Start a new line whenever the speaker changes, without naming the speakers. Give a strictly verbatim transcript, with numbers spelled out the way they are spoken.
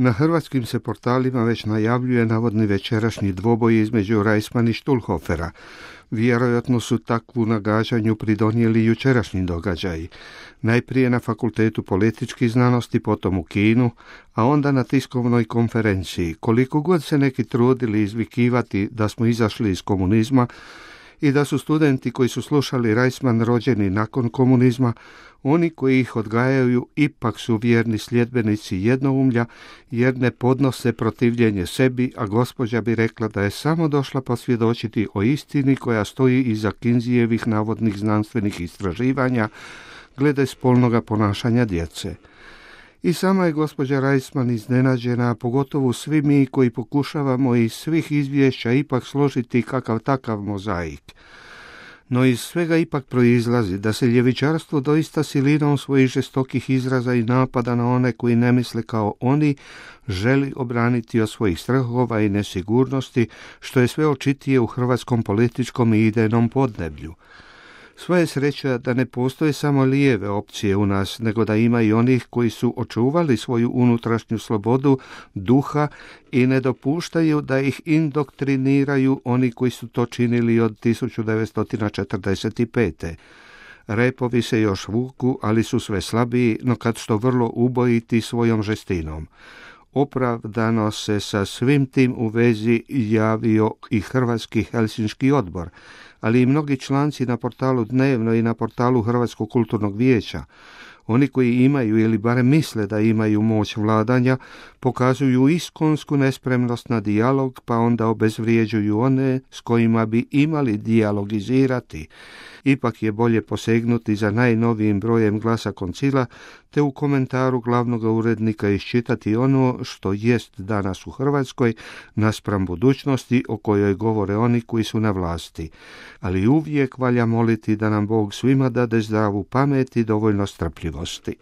Na hrvatskim se portalima već najavljuje navodni večerašnji dvoboj između Reisman i Štulhofera. Vjerojatno su takvu nagađanju pridonijeli jučerašnji događaji. Najprije na Fakultetu političkih znanosti, potom u Kinu, a onda na tiskovnoj konferenciji. Koliko god se neki trudili izvikivati da smo izašli iz komunizma i da su studenti koji su slušali Reisman rođeni nakon komunizma, oni koji ih odgajaju ipak su vjerni sljedbenici jednoumlja, jer ne podnose protivljenje sebi, a gospođa bi rekla da je samo došla posvjedočiti o istini koja stoji iza Kinzijevih navodnih znanstvenih istraživanja glede spolnoga ponašanja djece. I sama je gospođa Reisman iznenađena, pogotovo svi mi koji pokušavamo iz svih izvješća ipak složiti kakav takav mozaik. No iz svega ipak proizlazi da se ljevičarstvo doista silinom svojih žestokih izraza i napada na one koji ne misle kao oni želi obraniti od svojih strahova i nesigurnosti, što je sve očitije u hrvatskom političkom i idejnom podneblju. Sva je sreća da ne postoje samo lijeve opcije u nas, nego da ima i onih koji su očuvali svoju unutrašnju slobodu duha i ne dopuštaju da ih indoktriniraju oni koji su to činili od tisuću devetsto četrdeset pete. Repovi se još vuku, ali su sve slabiji, no kad što vrlo ubojiti svojom žestinom. Opravdano se sa svim tim u vezi javio i Hrvatski Helsinški odbor, ali i mnogi članci na portalu Dnevno i na portalu Hrvatskog kulturnog vijeća. Oni koji imaju ili barem misle da imaju moć vladanja, pokazuju iskonsku nespremnost na dijalog, pa onda obezvrijeđuju one s kojima bi imali dijalogizirati. Ipak je bolje posegnuti za najnovijim brojem Glasa Koncila, te u komentaru glavnog urednika iščitati ono što jest danas u Hrvatskoj naspram budućnosti o kojoj govore oni koji su na vlasti. Ali uvijek valja moliti da nam Bog svima dade zdravu pamet i dovoljno strpljivosti.